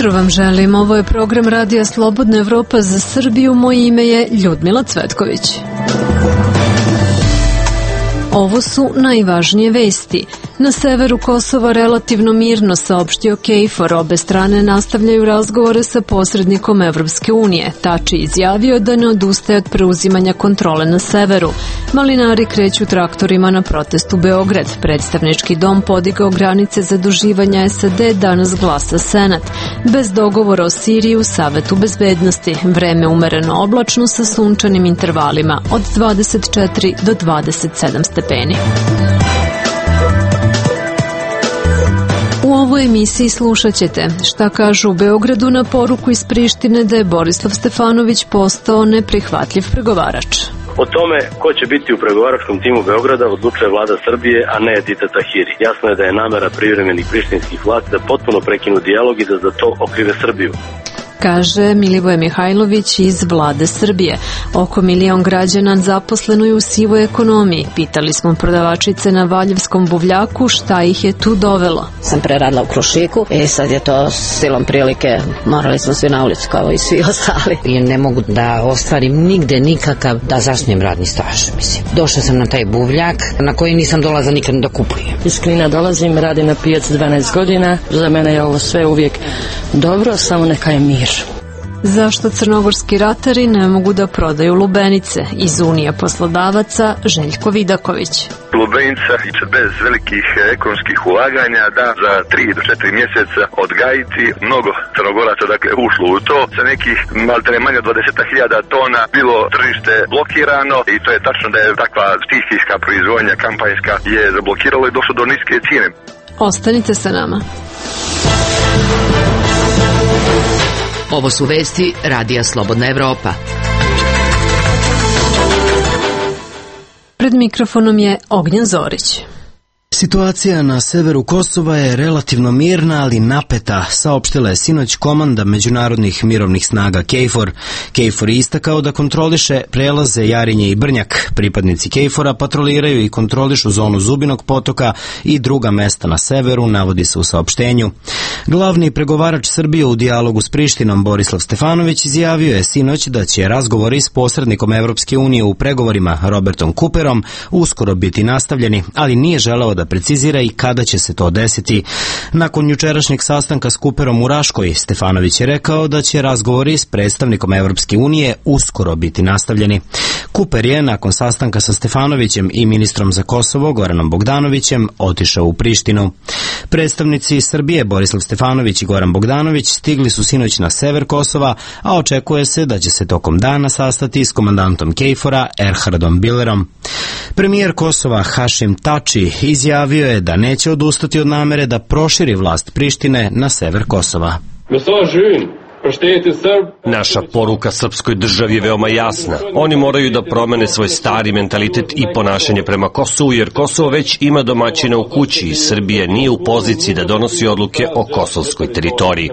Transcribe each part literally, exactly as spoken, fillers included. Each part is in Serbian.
jutro vam želim. Ovo je program Radija Slobodna Evropa za Srbiju. Moje ime je Ljudmila Cvetković. Ovo su najvažnije vesti. Na severu Kosova relativno mirno, saopštio KFOR. Obe strane nastavljaju razgovore sa posrednikom Evropske unije. Tači izjavio da ne odustaje od preuzimanja kontrole na severu. Malinari kreću traktorima na protest u Beograd. Predstavnički dom podigao granice zaduživanja S A D, danas glasa Senat. Bez dogovora o Siriji u Savetu bezbednosti. Vreme umereno oblačno sa sunčanim intervalima od dvadeset četiri do dvadeset sedam stepeni. U ovoj emisiji slušat ćete šta kažu u Beogradu na poruku iz Prištine da je Borislav Stefanović postao neprihvatljiv pregovarač. O tome ko će biti u pregovaračkom timu Beograda odlučuje vlada Srbije, a ne Edita Tahiri. Jasno je da je namera privremenih prištinskih vlasti da potpuno prekinu dijalog i da za to okrive Srbiju, kaže Milivoje Mihajlović iz vlade Srbije. Oko milion građana zaposleno je u sivoj ekonomiji. Pitali smo prodavačice na Valjevskom buvljaku šta ih je tu dovelo. Sam preradila u Krušiku, e sad je to silom prilike, morali smo svi na ulicu kao i svi ostali. I ne mogu da ostvarim nigde nikakav da zasnijem radni staž, mislim. Došla sam na taj buvljak na koji nisam dolazila nikad da kupujem. Iz Knina dolazim, radim na pijaci dvanaest godina, za mene je ovo sve uvijek dobro, samo neka je mir. Zašto crnogorski ratari ne mogu da prodaju lubenice? Iz Unije poslodavaca Željko Vidaković. Lubenica bez velikih ekonomskih ulaganja da za tri do četiri mjeseca odgajiti. Mnogo Crnogoraca dakle ušlo u to. Sa nekih maltene manje od dvadeset hiljada tona bilo tržište blokirano i to je tačno da je takva stihijska proizvodnja kampanjska je zablokiralo i došlo do niske cijene. Ostanite sa nama. Ovo su vesti Radija Slobodna Evropa. Pred mikrofonom je Ognjen Zorić. Situacija na severu Kosova je relativno mirna, ali napeta, saopštila je sinoć komanda međunarodnih mirovnih snaga KFOR. KFOR je istakao da kontroliše prelaze Jarinje i Brnjak. Pripadnici KFOR-a patroliraju i kontrolišu zonu Zubinog potoka i druga mesta na severu, navodi se u saopštenju. Glavni pregovarač Srbije u dijalogu s Prištinom Borislav Stefanović izjavio je sinoć da će razgovori s posrednikom Evropske unije u pregovorima Robertom Cooperom uskoro biti nastavljeni, ali nije želeo da precizira i kada će se to desiti. Nakon jučerašnjeg sastanka s Cooperom u Raškoj, Stefanović je rekao da će razgovori s predstavnikom Evropske unije uskoro biti nastavljeni. Cooper je nakon sastanka sa Stefanovićem i ministrom za Kosovo Goranom Bogdanovićem otišao u Prištinu. Predstavnici Srbije Borislav Stefanović i Goran Bogdanović stigli su sinoć na sever Kosova, a očekuje se da će se tokom dana sastati s komandantom KFOR-a Erhardom Bilerom. Premijer Kosova Hašim Tači izjavio je da neće odustati od namere da proširi vlast Prištine na sever Kosova. Naša poruka srpskoj državi je veoma jasna. Oni moraju da promene svoj stari mentalitet i ponašanje prema Kosovu, jer Kosovo već ima domaćina u kući i Srbija nije u poziciji da donosi odluke o kosovskoj teritoriji.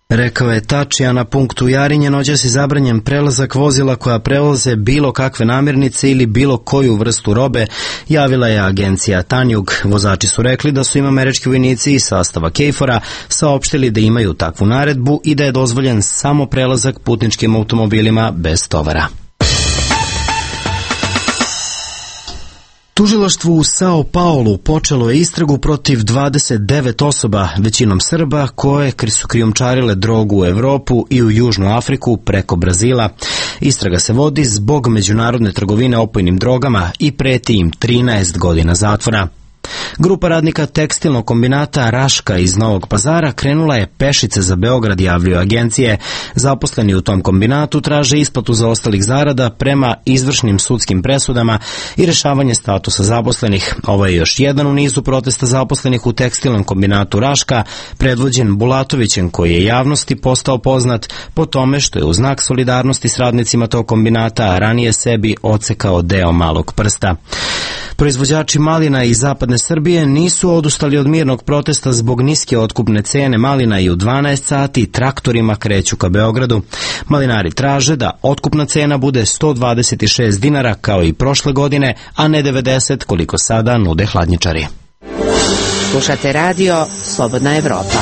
Rekao je Tači, a na punktu Jarinje noćas je zabranjen prelazak vozila koja prevoze bilo kakve namirnice ili bilo koju vrstu robe, javila je agencija Tanjug. Vozači su rekli da su im američki vojnici iz sastava KFOR-a saopštili da imaju takvu naredbu i da je dozvoljen samo prelazak putničkim automobilima bez tovara. Tužilaštvo u Sao Paulu počelo je istragu protiv dvadeset devet osoba, većinom Srba, koje su krijumčarile drogu u Evropu i u Južnu Afriku preko Brazila. Istraga se vodi zbog međunarodne trgovine opojnim drogama i preti im trinaest godina zatvora. Grupa radnika tekstilnog kombinata Raška iz Novog Pazara krenula je pešice za Beograd, javljaju agencije. Zaposleni u tom kombinatu traže isplatu zaostalih zarada prema izvršnim sudskim presudama i rešavanje statusa zaposlenih. Ovo je još jedan u nizu protesta zaposlenih u tekstilnom kombinatu Raška, predvođen Bulatovićem, koji je javnosti postao poznat po tome što je u znak solidarnosti s radnicima tog kombinata ranije sebi odsekao deo malog prsta. Proizvođači malina iz zapadne Srbije nisu odustali od mirnog protesta zbog niske otkupne cene malina i u dvanaest sati traktorima kreću ka Beogradu. Malinari traže da otkupna cena bude sto dvadeset šest dinara kao i prošle godine, a ne devedeset koliko sada nude hladnjačari. Slušate radio Slobodna Evropa.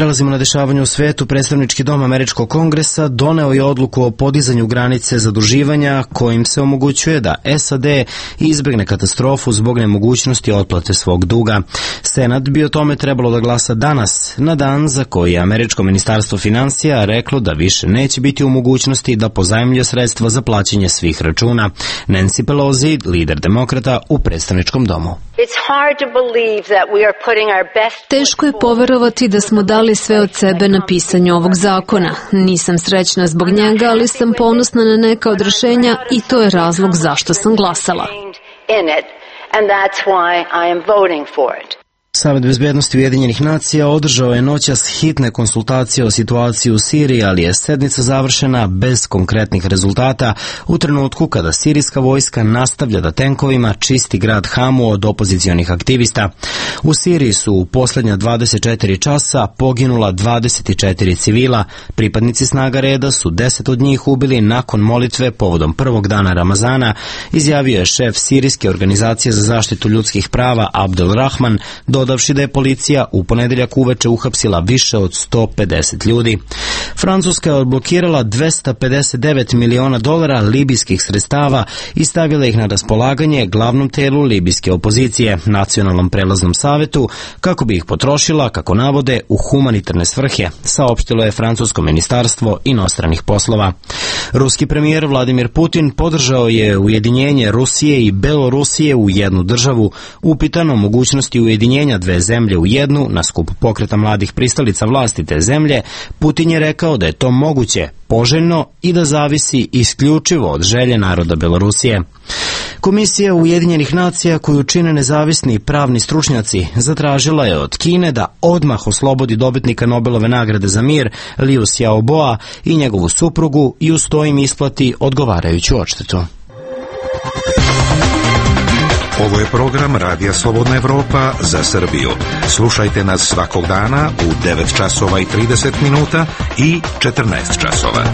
Prelazimo na dešavanje u svetu. Predstavnički dom Američkog kongresa doneo je odluku o podizanju granice zaduživanja kojim se omogućuje da S A D izbegne katastrofu zbog nemogućnosti otplate svog duga. Senat bi o tome trebalo da glasa danas, na dan za koji je Američko ministarstvo finansija reklo da više neće biti u mogućnosti da pozajmljuje sredstva za plaćanje svih računa. Nancy Pelosi, lider demokrata u predstavničkom domu. Teško je poverovati da smo dali sve od sebe na pisanju ovog zakona. Nisam srećna zbog njega, ali sam ponosna na neka od rešenja i to je razlog zašto sam glasala. Savet bezbednosti Ujedinjenih nacija održao je noćas hitne konsultacije o situaciji u Siriji, ali je sednica završena bez konkretnih rezultata u trenutku kada sirijska vojska nastavlja da tenkovima čisti grad Hamu od opozicionih aktivista. U Siriji su u poslednja dvadeset četiri časa poginula dvadeset četiri civila. Pripadnici snaga reda su deset od njih ubili nakon molitve povodom prvog dana Ramazana, izjavio je šef sirijske organizacije za zaštitu ljudskih prava Abdel Rahman, dodavši da je policija u ponedeljak uveče uhapsila više od sto pedeset ljudi. Francuska je odblokirala dvesta pedeset devet miliona dolara libijskih sredstava i stavila ih na raspolaganje glavnom telu libijske opozicije, Nacionalnom prelaznom savetu, kako bi ih potrošila, kako navode, u humanitarne svrhe, saopštilo je francusko ministarstvo inostranih poslova. Ruski premijer Vladimir Putin podržao je ujedinjenje Rusije i Belorusije u jednu državu, upitan o mogućnosti ujedinjenja dve zemlje u jednu na skup pokreta mladih pristalica vlasti te zemlje. Putin je rekao da je to moguće, poželjno i da zavisi isključivo od želje naroda Belorusije. Komisija Ujedinjenih nacija, koju čine nezavisni pravni stručnjaci, zatražila je od Kine da odmah oslobodi dobitnika Nobelove nagrade za mir Liu Xiaoboa i njegovu suprugu i uz to im isplati odgovarajuću odštetu. Ovo je program Radija Slobodna Evropa za Srbiju. Slušajte nas svakog dana u devet časova i trideset minuta i četrnaest časova.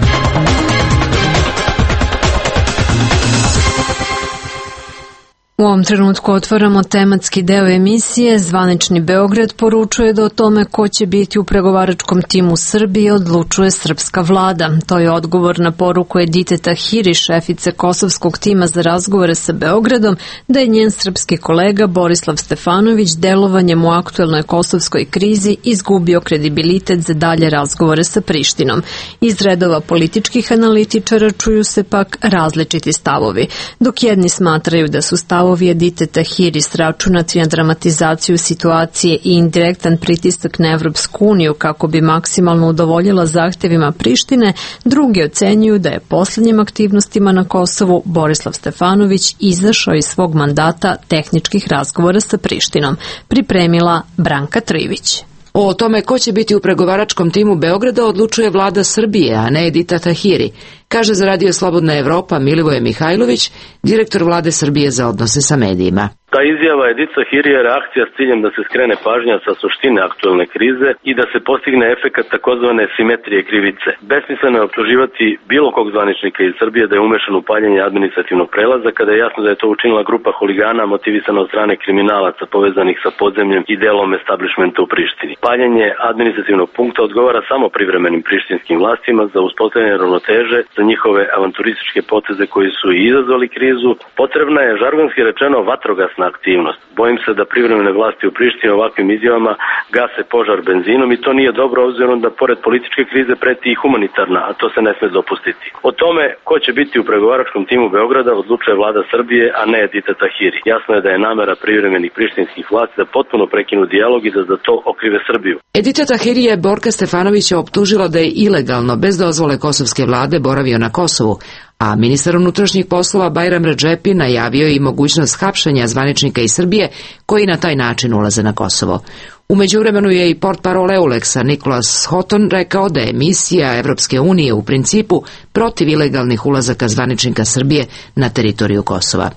U ovom trenutku otvaramo tematski deo emisije. Zvanični Beograd poručuje da o tome ko će biti u pregovaračkom timu Srbije odlučuje srpska vlada. To je odgovor na poruku Edite Tahiri, šefice kosovskog tima za razgovore sa Beogradom, da je njen srpski kolega Borislav Stefanović delovanjem u aktuelnoj kosovskoj krizi izgubio kredibilitet za dalje razgovore sa Prištinom. Iz redova političkih analitičara čuju se pak različiti stavovi, dok jedni smatraju da su stavovi Edite Tahiri sračunati na dramatizaciju situacije i indirektan pritisak na Evropsku uniju kako bi maksimalno udovoljila zahtevima Prištine, drugi ocenjuju da je posljednjim aktivnostima na Kosovu Borislav Stefanović izašao iz svog mandata tehničkih razgovora sa Prištinom. Pripremila Branka Trivić. O tome ko će biti u pregovaračkom timu Beograda odlučuje vlada Srbije, a ne Edita Tahiri, kaže za Radio Slobodna Evropa Milivoje Mihajlović, direktor vlade Srbije za odnose sa medijima. Ta izjava Edite Tahiri je reakcija s ciljem da se skrene pažnja sa suštine aktuelne krize i da se postigne efekat takozvane simetrije krivice. Besmisleno je optuživati bilo kog zvaničnika iz Srbije da je umešan u paljenje administrativnog prelaza, kada je jasno da je to učinila grupa huligana motivisana od strane kriminalaca povezanih sa podzemljem i delom establishmenta u Prištini. Paljenje administrativnog punkta odgovara samo privremenim prištinskim vlastima za uspostavljanje ravnoteže za njihove avanturističke poteze koji su i izazvali krizu. Potrebna je, žargonski rečeno, vatrogasna aktivnost. Bojim se da privremene vlasti u Prištini ovakvim izjavama gase požar benzinom i to nije dobro, obzirom da pored političke krize preti i humanitarna, a to se ne sme dopustiti. O tome ko će biti u pregovaračkom timu Beograda odlučuje vlada Srbije, a ne Edite Tahiri. Jasno je da je namera privremenih prištinskih vlasti da potpuno prekinu dijalog i da za to okrive Srbiju. Edita Tahiri je Borka Stefanovića optužila da je ilegalno, bez dozvole kosovske vlade, boravio na Kosovu, a ministar unutrašnjih poslova Bajram Redžepi najavio i mogućnost hapšenja zvaničnika iz Srbije koji na taj način ulaze na Kosovo. U međuvremenu je i portparol Euleksa Nikolas Hoton rekao da je misija Evropske unije u principu protiv ilegalnih ulazaka zvaničnika Srbije na teritoriju Kosova.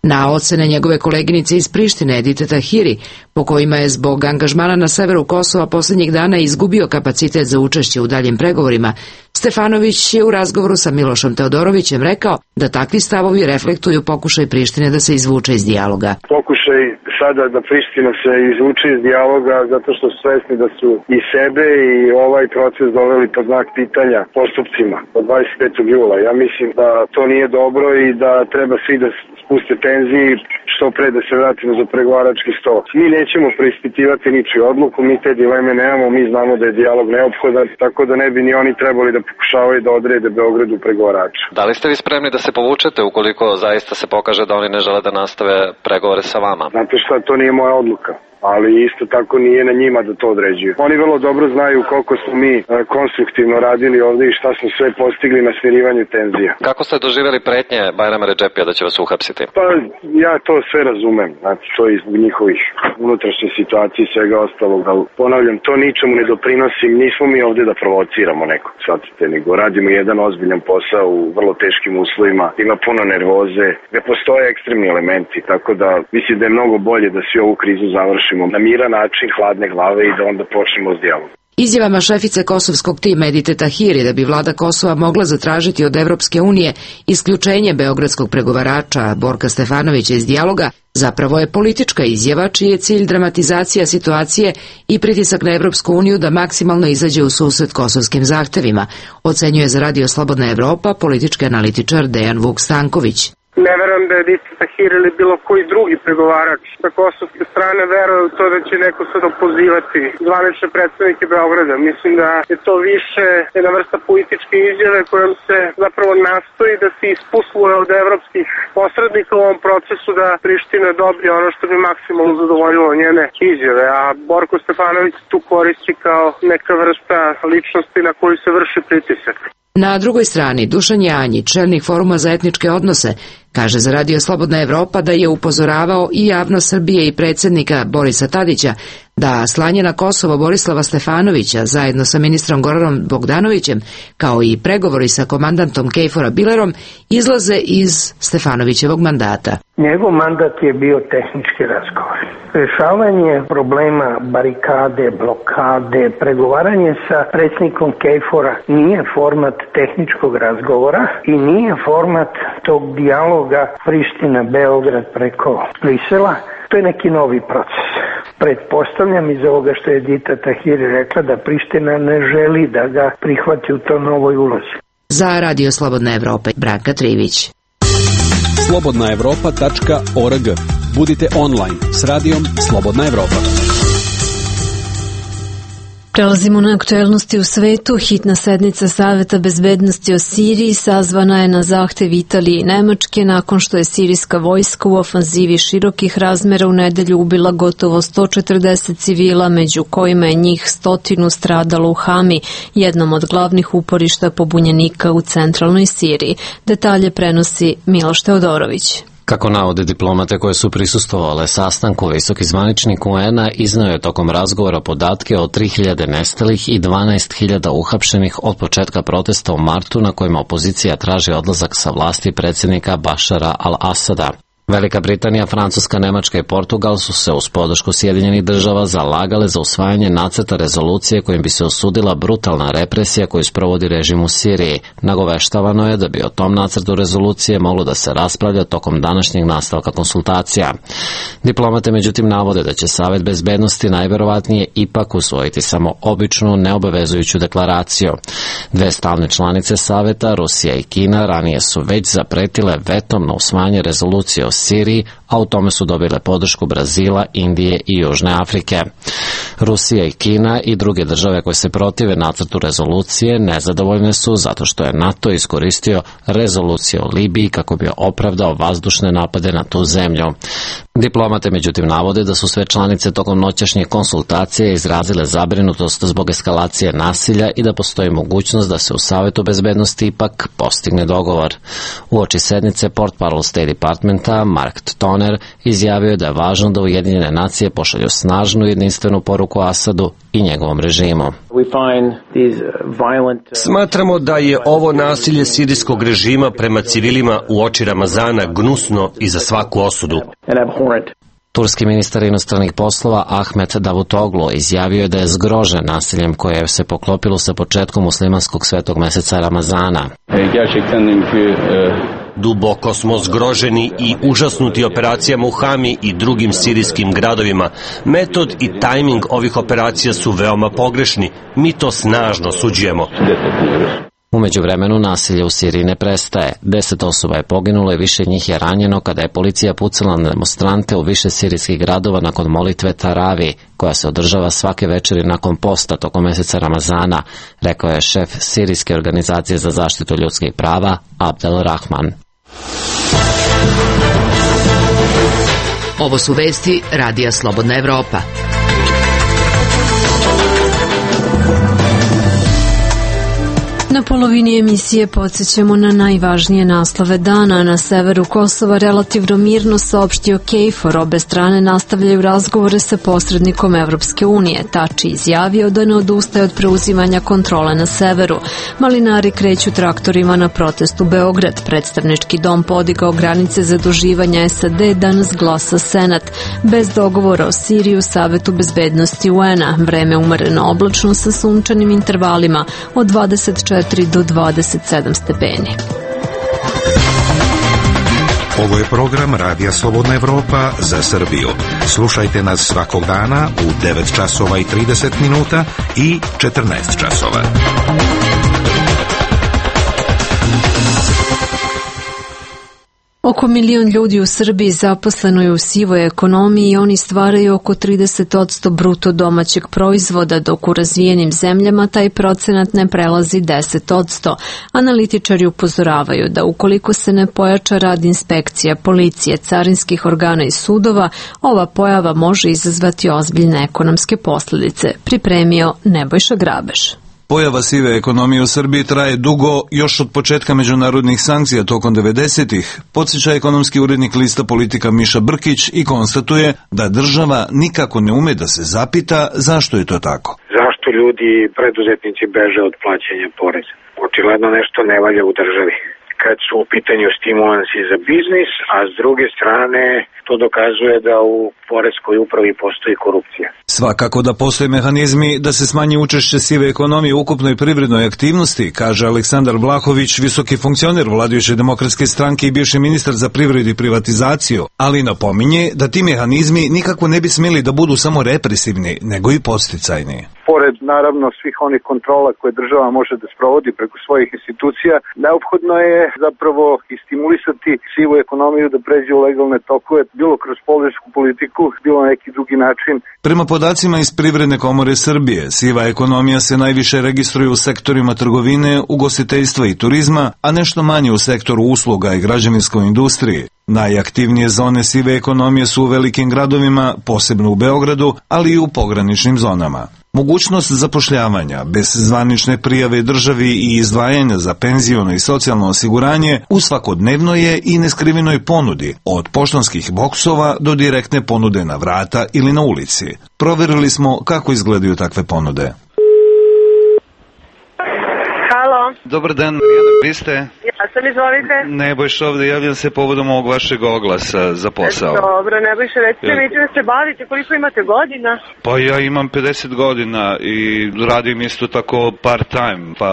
Na ocene njegove koleginice iz Prištine Edite Tahiri, po kojima je zbog angažmana na severu Kosova posljednjih dana izgubio kapacitet za učešće u daljim pregovorima, Stefanović je u razgovoru sa Milošom Teodorovićem rekao da takvi stavovi reflektuju pokušaj Prištine da se izvuče iz dijaloga. Pokušaj sada da Priština se izvuče iz dijaloga zato što su svesni da su i sebe i ovaj proces doveli pod znak pitanja postupcima od dvadeset petog jula. Ja mislim da to nije dobro i da treba svi da spuste tenziji što pre da se vratimo za pregovarački sto. Mi nećemo preispitivati ničiju odluku, mi te dileme nemamo, mi znamo da je dijalog neophodan, tako da ne bi ni oni trebali da pokušavaju da odrede Beogradu pregovarača. Da li ste vi spremni da se povučete ukoliko zaista se pokaže da oni ne žele da nastave pregovore sa vama? Znate šta, to nije moja odluka, ali isto tako nije na njima da to određuju. Oni vrlo dobro znaju koliko smo mi konstruktivno radili ovde i šta smo sve postigli na smirivanju tenzija. Kako ste doživjeli pretnje Bajrama Redžepija da će vas uhapsiti? Pa ja to sve razumem, znači to je zbog njihovih unutrašnjih situacija i svega ostalog, ali ponavljam, to ničemu ne doprinosi, nismo mi ovde da provociramo nekog, shvatite, nego radimo jedan ozbiljan posao u vrlo teškim uslovima, ima puno nervoze, ne postoje ekstremni elementi, tako da mislim da je mnogo bolje da svi ovu krizu završimo na miran način, hladne glave i da onda počnemo s dijalogom. Izjavama šefice kosovskog tima Edite Tahiri da bi vlada Kosova mogla zatražiti od Evropske unije isključenje beogradskog pregovarača Borka Stefanovića iz dijaloga zapravo je politička izjava čiji je cilj dramatizacija situacije i pritisak na Evropsku uniju da maksimalno izađe u susret kosovskim zahtevima, ocenjuje za Radio Slobodna Evropa politički analitičar Dejan Vuk Stanković. Ne verujem da je Edita Tahiri ili bilo koji drugi pregovarač sa kosovske strane veruje u to da će neko sad opozivati zvanične predstavnike Beograda. Mislim da je to više jedna vrsta političke izjave kojom se zapravo nastoji da se ispusluje od evropskih posrednika u ovom procesu da Priština dobije ono što bi maksimalno zadovoljilo njene izjave, a Borko Stefanović tu koristi kao neka vrsta ličnosti na koju se vrši pritisak. Na drugoj strani, Dušan Janjić, čelnik Foruma za etničke odnose, kaže za Radio Slobodna Evropa da je upozoravao i javnost Srbije i predsjednika Borisa Tadića da slanje na Kosovo Borislava Stefanovića zajedno sa ministrom Goranom Bogdanovićem, kao i pregovori sa komandantom Kejfora Bilerom, izlaze iz Stefanovićevog mandata. Njegov mandat je bio tehnički razgovor. Rešavanje problema barikade, blokade, pregovaranje sa predsjednikom Kejfora nije format tehničkog razgovora i nije format tog dijaloga Priština-Beograd preko Brisela. To je neki novi proces. Pretpostavljam iz ovoga što je Edita Tahiri rekla da Priština ne želi da ga prihvati u to novoj ulozi. Za Radio Slobodna Evropa, Branka Trivić. slobodna evropa tačka org. Budite online s radijom Slobodna Evropa. Prelazimo na aktuelnosti u svetu. Hitna sednica Saveta bezbednosti o Siriji sazvana je na zahtev Italije i Nemačke nakon što je sirijska vojska u ofanzivi širokih razmera u nedelju ubila gotovo sto četrdeset civila, među kojima je njih stotinu stradalo u Hami, jednom od glavnih uporišta pobunjenika u centralnoj Siriji. Detalje prenosi Miloš Teodorović. Kako navode diplomate koje su prisustvovale sastanku, visoki zvaničnik U N-a izneo je tokom razgovora podatke o tri hiljade nestalih i dvanaest hiljada uhapšenih od početka protesta u martu na kojima opozicija traži odlazak sa vlasti predsjednika Bašara al-Asada. Velika Britanija, Francuska, Nemačka i Portugal su se uz podršku Sjedinjenih država zalagale za usvajanje nacrta rezolucije kojim bi se osudila brutalna represija koju sprovodi režim u Siriji. Nagoveštavano je da bi o tom nacrtu rezolucije moglo da se raspravlja tokom današnjeg nastavka konsultacija. Diplomate međutim navode da će Savet bezbednosti najverovatnije ipak usvojiti samo običnu neobavezujuću deklaraciju. Dve stalne članice Saveta, Rusija i Kina, ranije su već zapretile vetom na usvajanje rezolucije o Siriji, a u tome su dobile podršku Brazila, Indije i Južne Afrike. Rusija i Kina i druge države koje se protive nacrtu rezolucije nezadovoljne su zato što je NATO iskoristio rezoluciju o Libiji kako bi opravdao vazdušne napade na tu zemlju. Diplomate međutim navode da su sve članice tokom noćašnjih konsultacija izrazile zabrinutost zbog eskalacije nasilja i da postoji mogućnost da se u Savetu bezbednosti ipak postigne dogovor. Uoči sednice portparol State Departmenta Mark Toner izjavio da je važno da Ujedinjene nacije pošalju snažnu jedinstvenu poruku Asadu i njegovom režimu. Smatramo da je ovo nasilje sirijskog režima prema civilima u oči Ramazana gnusno i za svaku osudu. Turski ministar inostranih poslova Ahmet Davutoglu izjavio je da je zgrožen nasiljem koje se poklopilo sa početkom muslimanskog svetog meseca Ramazana. Duboko smo zgroženi i užasnuti operacijama u Hami i drugim sirijskim gradovima. Metod i tajming ovih operacija su veoma pogrešni. Mi to snažno osuđujemo. Umeđu vremenu nasilje u Siriji ne prestaje. Deset osoba je poginulo i više njih je ranjeno kada je policija pucala na demonstrante u više sirijskih gradova nakon molitve Taravi, koja se održava svake večeri nakon posta tokom meseca Ramazana, rekao je šef Sirijske organizacije za zaštitu ljudskih prava Abdel Rahman. Ovo su vesti Radija Slobodna Evropa. Na polovini emisije podsjećamo na najvažnije naslove dana. Na severu Kosova relativno mirno saopštio KFOR. Obe strane nastavljaju razgovore sa posrednikom Evropske unije. Tači izjavio da ne odustaje od preuzimanja kontrole na severu. Malinari kreću traktorima na protest u Beograd. Predstavnički dom podigao granice zaduživanja S A D, danas glasa Senat. Bez dogovora o Siriji u Savetu bezbednosti U N-a. Vreme umereno oblačno sa sunčanim intervalima od dvadeset četiri do dvadeset sedam stepeni. Ovo je program Radija Slobodna Evropa za Srbiju. Slušajte nas svakog dana u devet časova i trideset minuta i četrnaest časova. Oko milion ljudi u Srbiji zaposleno je u sivoj ekonomiji i oni stvaraju oko trideset posto bruto domaćeg proizvoda, dok u razvijenim zemljama taj procenat ne prelazi deset posto. Analitičari upozoravaju da ukoliko se ne pojača rad inspekcija, policije, carinskih organa i sudova, ova pojava može izazvati ozbiljne ekonomske posljedice. Pripremio Nebojša Grabež. Pojava sive ekonomije u Srbiji traje dugo, još od početka međunarodnih sankcija tokom devedesetih, podsjeća ekonomski urednik lista Politika Miša Brkić i konstatuje da država nikako ne ume da se zapita zašto je to tako. Zašto ljudi, preduzetnici beže od plaćanja poreza? Očigledno nešto ne valja u državi. Kad su u pitanju stimulansi za biznis, a s druge strane to dokazuje da u poreskoj upravi postoji korupcija. Svakako da postoje mehanizmi da se smanji učešće sive ekonomije u ukupnoj privrednoj aktivnosti, kaže Aleksandar Vlahović, visoki funkcioner vladajuće demokratske stranke i bivši ministar za privredu i privatizaciju, ali napominje da ti mehanizmi nikako ne bi smjeli da budu samo represivni, nego i podsticajni. Pored naravno svih onih kontrola koje država može da sprovodi preko svojih institucija, neophodno je zapravo i stimulisati sivu ekonomiju da pređe u legalne tokove, bilo kroz poresku politiku, bilo na neki drugi način. Prema podacima iz Privredne komore Srbije, siva ekonomija se najviše registruje u sektorima trgovine, ugostiteljstva i turizma, a nešto manje u sektoru usluga i građevinskoj industriji. Najaktivnije zone sive ekonomije su u velikim gradovima, posebno u Beogradu, ali i u pograničnim zonama. Mogućnost zapošljavanja bez zvanične prijave državi i izdvajanja za penziono i socijalno osiguranje u svakodnevnoj je i neskrivenoj ponudi, od poštanskih boksova do direktne ponude na vrata ili na ulici. Proverili smo kako izgledaju takve ponude. Halo. Dobar dan, Marijana, vi ste? Ja sam, izvolite. Nebojša ovde, javljam se povodom ovog vašeg oglasa za posao. Dobro, Nebojša, recite mi da se bavite, koliko imate godina? Pa ja imam pedeset godina i radim isto tako part-time, pa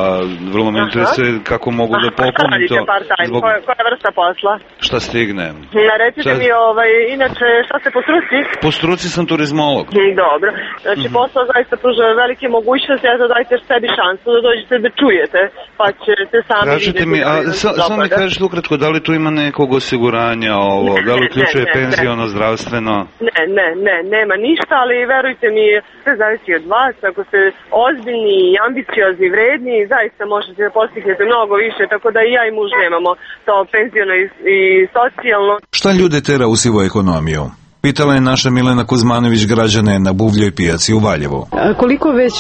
vrlo me interesuje kako mogu da popunim to. Radite part-time, zbog... koja, koja vrsta posla? Šta stignem. Na, recite šta... mi, ovaj, inače, šta ste po struci? Po struci sam turizmolog. Dobro, znači mm-hmm. posao zaista pruža velike mogućnosti, eto dajte sebi šansu da dođete da čujete, pa ćete sami Kažete vidjeti. Mi, a samo mi kažete ukratko, da li tu ima nekog osiguranja ovo, ne, da li uključuje ne, ne, penziono, ne. zdravstveno? Ne, ne, ne, nema ništa, ali verujte mi, sve zavisi od vas, ako ste ozbiljni i ambiciozni, vredni, zaista možete da postignete mnogo više, tako da i ja i muž nemamo to penziono i, i socijalno. Šta ljude tera u sivu ekonomiju? Pitala je naša Milena Kuzmanović građane na Buvljoj pijaci u Valjevu. A koliko već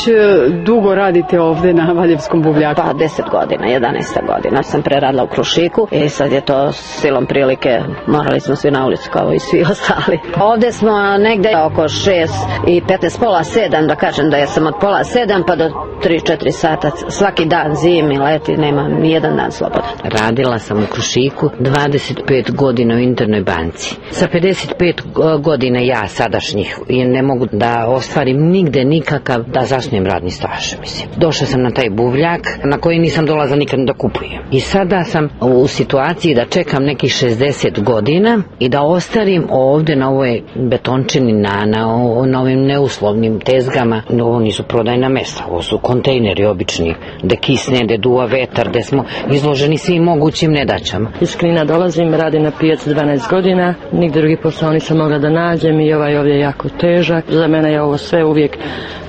dugo radite ovde na Valjevskom buvljaku? Pa deset godina, jedanaesta godina. Sam preradila u Krušiku i sad je to silom prilike, morali smo svi na ulicu kao i svi ostali. Ovde smo negde oko šest i petnaest, pola sedam, da kažem da ja sam od pola sedam pa do tri četiri sata. Svaki dan, zimi, leti, nema ni jedan dan slobodan. Radila sam u Krušiku dvadeset pet godina u internoj banci. Sa pedeset pet godine ja sadašnjih i ne mogu da ostvarim nigde nikakav da zasnujem radni staž, mislim. Došla sam na taj buvljak na koji nisam dolazila nikad da kupujem. I sada sam u situaciji da čekam nekih šezdeset godina i da ostarim ovde na ovoj betončini, na, na, na ovim neuslovnim tezgama. Ovo nisu prodajna mesta, ovo su kontejneri obični, gde kisne, gde duva vetar, gde smo izloženi svim mogućim nedaćama. Iz Knina dolazim, radim na pijaci dvanaest godina, nigde drugi posao nisam mogla da nađem i ovaj ovdje je jako težak. Za mene je ovo sve uvijek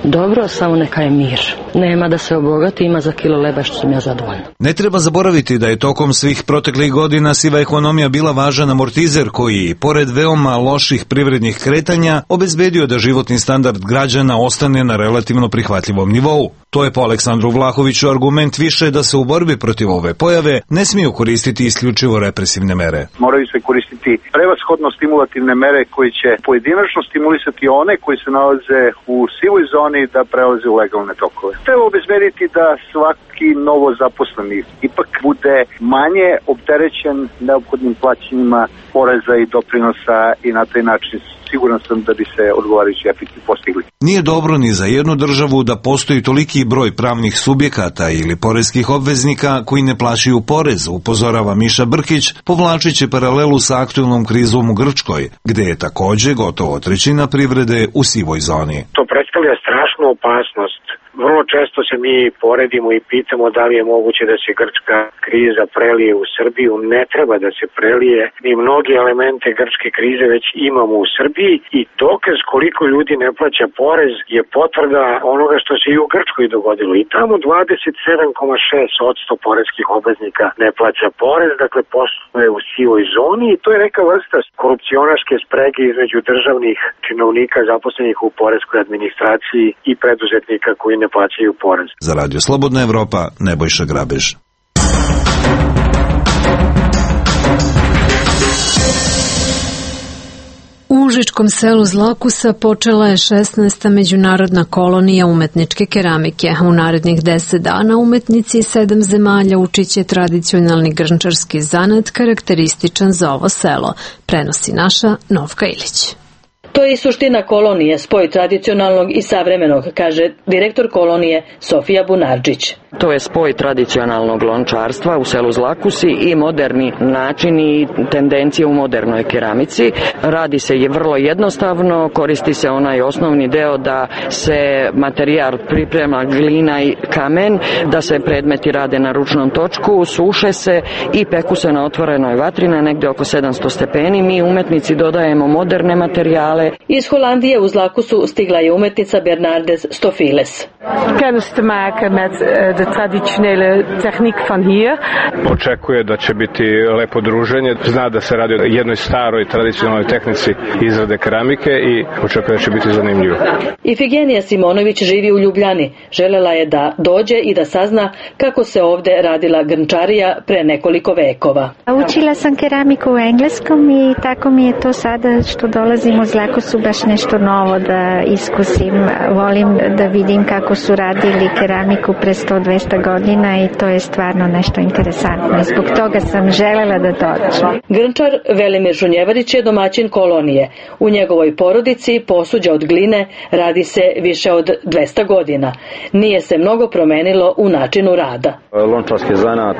dobro, samo neka je mir. Nema da se obogati, ima za kilo leba što sam ja zadovoljna. Ne treba zaboraviti da je tokom svih proteklih godina siva ekonomija bila važan amortizer koji, pored veoma loših privrednih kretanja, obezbedio da životni standard građana ostane na relativno prihvatljivom nivou. To je po Aleksandru Vlahoviću argument više da se u borbi protiv ove pojave ne smiju koristiti isključivo represivne mere. Moraju se koristiti prevashodno stimulativne mere koje će pojedinačno stimulisati one koji se nalaze u sivoj zoni da prelaze u legalne tokove. Treba obezbediti da svaki novo zaposleni ipak bude manje opterećen neophodnim plaćanjima poreza i doprinosa i na taj način siguran sam da bi se odgovarajući efekti postigli. Nije dobro ni za jednu državu da postoji toliki broj pravnih subjekata ili poreskih obveznika koji ne plaćaju porez, upozorava Miša Brkić, povlačići paralelu sa aktuelnom krizom u Grčkoj, gde je takođe gotovo trećina privrede u sivoj zoni. To predstavlja strašnu opasnost. Vrlo često se mi poredimo i pitamo da li je moguće da se grčka kriza prelije u Srbiju. Ne treba da se prelije. Mi mnogi elemente grčke krize već imamo u Srbiji i dokaz koliko ljudi ne plaća porez je potvrda onoga što se i u Grčkoj dogodilo. I tamo dvadeset sedam zarez šest posto poreskih obveznika ne plaća porez, dakle posluje u sivoj zoni i to je neka vrsta korupcionaške sprege između državnih činovnika zaposlenih u poreskoj administraciji i preduzetnika koji ne plaćaju porez. Za Radio Slobodna Evropa, Nebojša Grabež. U užičkom selu Zlakusa počela je šesnaesta međunarodna kolonija umetničke keramike. U narednih deset dana umetnici iz sedam zemalja učiće tradicionalni grnčarski zanat karakterističan za ovo selo, prenosi naša Novka Ilić. To je i suština kolonije, spoj tradicionalnog i savremenog, kaže direktor kolonije Sofija Bunarđić. To je spoj tradicionalnog lončarstva u selu Zlakusi i moderni način i tendencije u modernoj keramici. Radi se je vrlo jednostavno, koristi se onaj osnovni deo da se materijal priprema glina i kamen, da se predmeti rade na ručnom točku, suše se i peku se na otvorenoj vatri na negde oko sedamsto stepeni. Mi umetnici dodajemo moderne materijale. Iz Holandije u Zlakusu stigla je umetnica Bernardes Stofiles. Kennis te maken met de traditionele tehniek van hier. Očekuje da će biti lepo druženje. Zna da se radi o jednoj staroj tradicionalnoj tehnici izrade keramike i očekuje da će biti zanimljivo. Ifigenija Simonović živi u Ljubljani. Želela je da dođe i da sazna kako se ovde radila grnčarija pre nekoliko vekova. Učila sam keramiku u engleskom i tako mi je to sada što dolazim u Zlakusu baš nešto novo da iskusim. Volim da vidim kako su radili keramiku pre sto dvesta godina i to je stvarno nešto interesantno. Zbog toga sam želela da dođem. Grnčar Velimir Žunjevarić je domaćin kolonije. U njegovoj porodici posuđa od gline radi se više od dvesta godina. Nije se mnogo promenilo u načinu rada. Lončarski zanat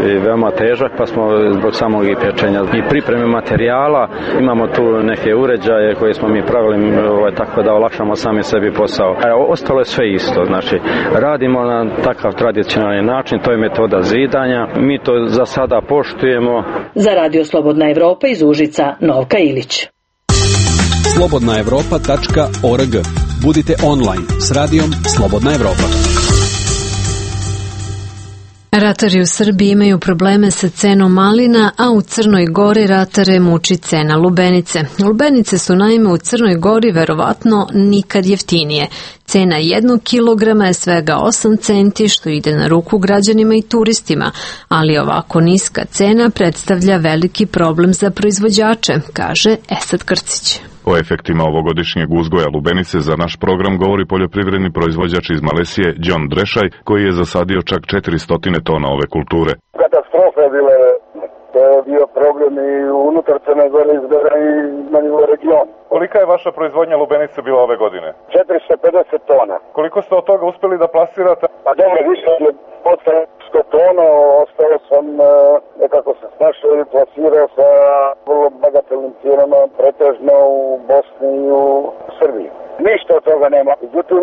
je veoma težak, pa smo zbog samog i pečenja i pripreme materijala imamo tu neke uređaje koje smo mi pravili ovaj, tako da olakšamo sami sebi posao. A ostalo je sve isto, znači radimo na takav tradicionalni način, to je metoda zidanja, mi to za sada poštujemo. Za Radio Slobodna Evropa iz Užica, Novka Ilić. slobodna evropa tačka org. Budite online s radijom Slobodna Evropa. Ratari u Srbiji imaju probleme sa cenom malina, a u Crnoj Gori ratare muči cena lubenice. Lubenice su naime u Crnoj Gori verovatno nikad jeftinije. Cena jednog kilograma je svega osam centi, što ide na ruku građanima i turistima, ali ovako niska cena predstavlja veliki problem za proizvođače, kaže Esad Krcić. O efektima ovogodišnjeg uzgoja lubenice za naš program govori poljoprivredni proizvođač iz Malesije, John Drešaj, koji je zasadio čak četiristo tona ove kulture. Katastrofa je bila, to je bio problem i unutar Crne nego li izgleda i na nivou regiona. Kolika je vaša proizvodnja lubenice bila ove godine? četiristo pedeset tona. Koliko ste od toga uspeli da plasirate? Pa dobro, više od sto tona, ostalo sam nekako se snašao i plasirao sa vrlo bagatelnim cijenama, pretežno u Bosni i u Srbiji. Ništa od toga nema. Međutim,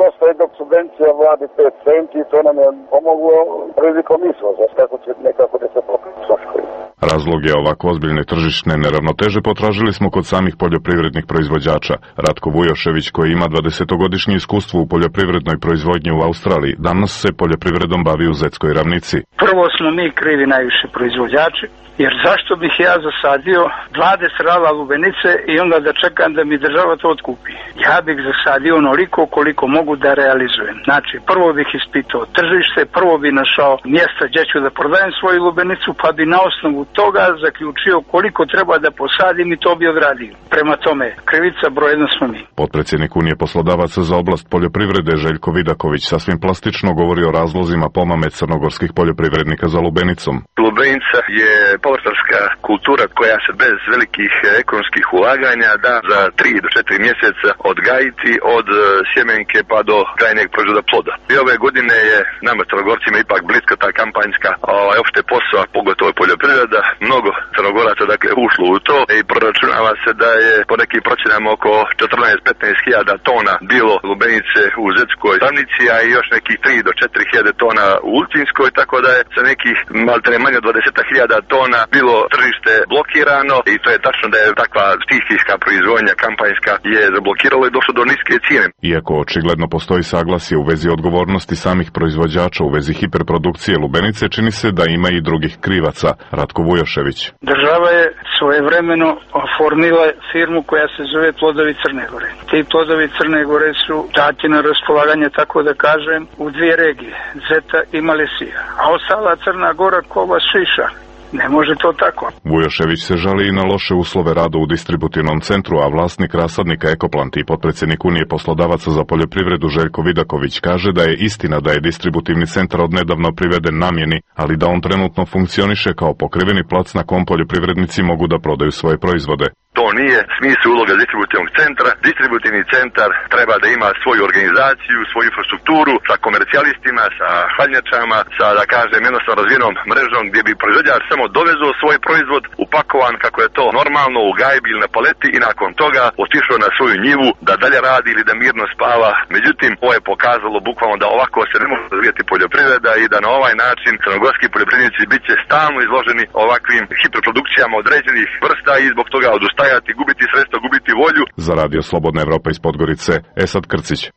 dosta je dok subvencija vladi pet centi i to nam je pomoglo prilikom izvoza, tako će nekako da se pokrije troškovi. Razloge ovako ozbiljne tržišne neravnoteže potražili smo kod samih poljoprivrednih proizvođača. Ratko Vujošević, koji ima dvadesetogodišnje iskustvo u poljoprivrednoj proizvodnji u Australiji, danas se poljoprivredom bavi u Zetskoj ravnici. Prvo smo mi krivi najviše proizvođači, jer zašto bih ja zasadio dvadeset rala lubenice i onda da čekam da mi država to otkupi? Ja bih zasadio onoliko koliko mogu da realizujem. Znači, prvo bih ispitao tržište, prvo bih našao mjesta gdje ću da prodajem svoju lubenicu, pa bi na osnovu toga zaključio koliko treba da posadim i to bi odradio. Prema tome, krivica broj jedan smo mi. Potpredsjednik Unije poslodavaca za oblast poljoprivrede Željko Vidaković sasvim plastično govori o razlozima pomame crnogorskih poljoprivrednika za lubenicom. Lubenica je povrtarska kultura koja se bez velikih ekonomskih ulaganja da za tri do četiri mjeseca odgajiti od sjemenke pa do krajnjeg proizvoda ploda. I ove godine je nama Crnogorcima ipak bliska ta kampanjska ovaj, opšte posao, pogotovo poljoprivreda. Mnogo Crnogoraca dakle ušlo u to i proračunava se da je po nekim procjenama oko četrnaest do petnaest hiljada tona bilo lubenice u Zetskoj ravnici, a i još nekih tri do četiri hiljade tona u Ulcinskoj, tako da je sa nekih maltene manje od dvadeset hiljada tona bilo tržište blokirano i to je tačno da je takva stihijska proizvodnja kampanjska je zablokirala i došlo do niske cijene. Iako očigledno postoji saglasje u vezi odgovornosti samih proizvođača u vezi hiperprodukcije lubenice, čini se da ima i drugih krivaca. Ratko Vujošević. Država je svojevremeno oformila firmu koja se zove Plodovi Crne Gore. Ti Plodovi Crne Gore su dati na raspolaganje, tako da kažem, u dvije regije, Zeta i Malesija. A ostala Crna Gora kova šiša. Ne može to tako. Vujošević se žali i na loše uslove rada u distributivnom centru, a vlasnik rasadnika Ekoplant i potpredsjednik Unije poslodavaca za poljoprivredu Željko Vidaković kaže da je istina da je distributivni centar odnedavno priveden namjeni, ali da on trenutno funkcioniše kao pokriveni plac na kom poljoprivrednici mogu da prodaju svoje proizvode. To nije smisao uloga distributivnog centra. Distributivni centar treba da ima svoju organizaciju, svoju infrastrukturu sa komercijalistima, sa hladnjačama, sa, da kažem, jednostavno razvijenom mrežom gdje bi proizvođač samo dovezao svoj proizvod upakovan kako je to normalno u gajbi ili na paleti i nakon toga otišao na svoju njivu da dalje radi ili da mirno spava. Međutim, ovo je pokazalo bukvalno da ovako se ne može razvijati poljoprivreda i da na ovaj način crnogorski poljoprivrednici bit će stalno izloženi ovakvim hiperprodukcijama određenih vrsta i zbog toga odustaju, gubiti sredstva, gubiti volju. Za Radio Slobodna Evropa iz Podgorice, Esad Krcić.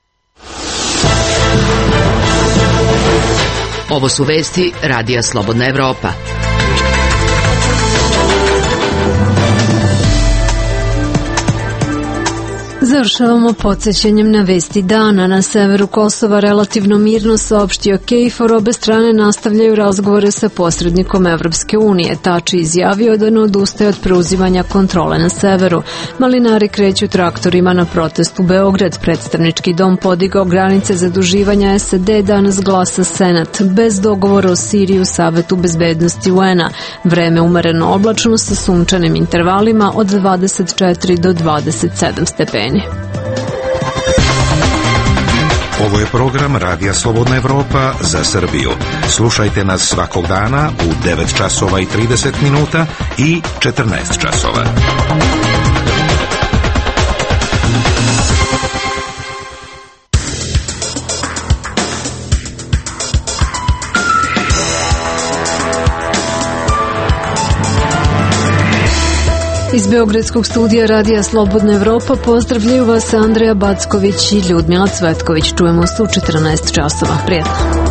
Ovo su vesti Radija Slobodna Evropa. Završavamo podsjećanjem na vesti dana. Na severu Kosova relativno mirno saopštio KFOR, obe strane nastavljaju razgovore sa posrednikom Evropske unije. Tači izjavio da ne odustaje od preuzimanja kontrole na severu. Malinari kreću traktorima na protest u Beograd. Predstavnički dom podigao granice zaduživanja S A D, danas glasa Senat. Bez dogovora o Siriji u Savetu bezbednosti U N A. Vreme umereno oblačno sa sunčanim intervalima od dvadeset četiri do dvadeset sedam stepeni. Ovo je program Radija Slobodna Evropa za Srbiju. Slušajte nas svakog dana u devet časova i trideset minuta i četrnaest časova. Iz Beogradskog studija Radija Slobodna Evropa pozdravljaju vas Andreja Backović i Ljudmila Cvetković. Čujemo se u četrnaest časova. Prijetno.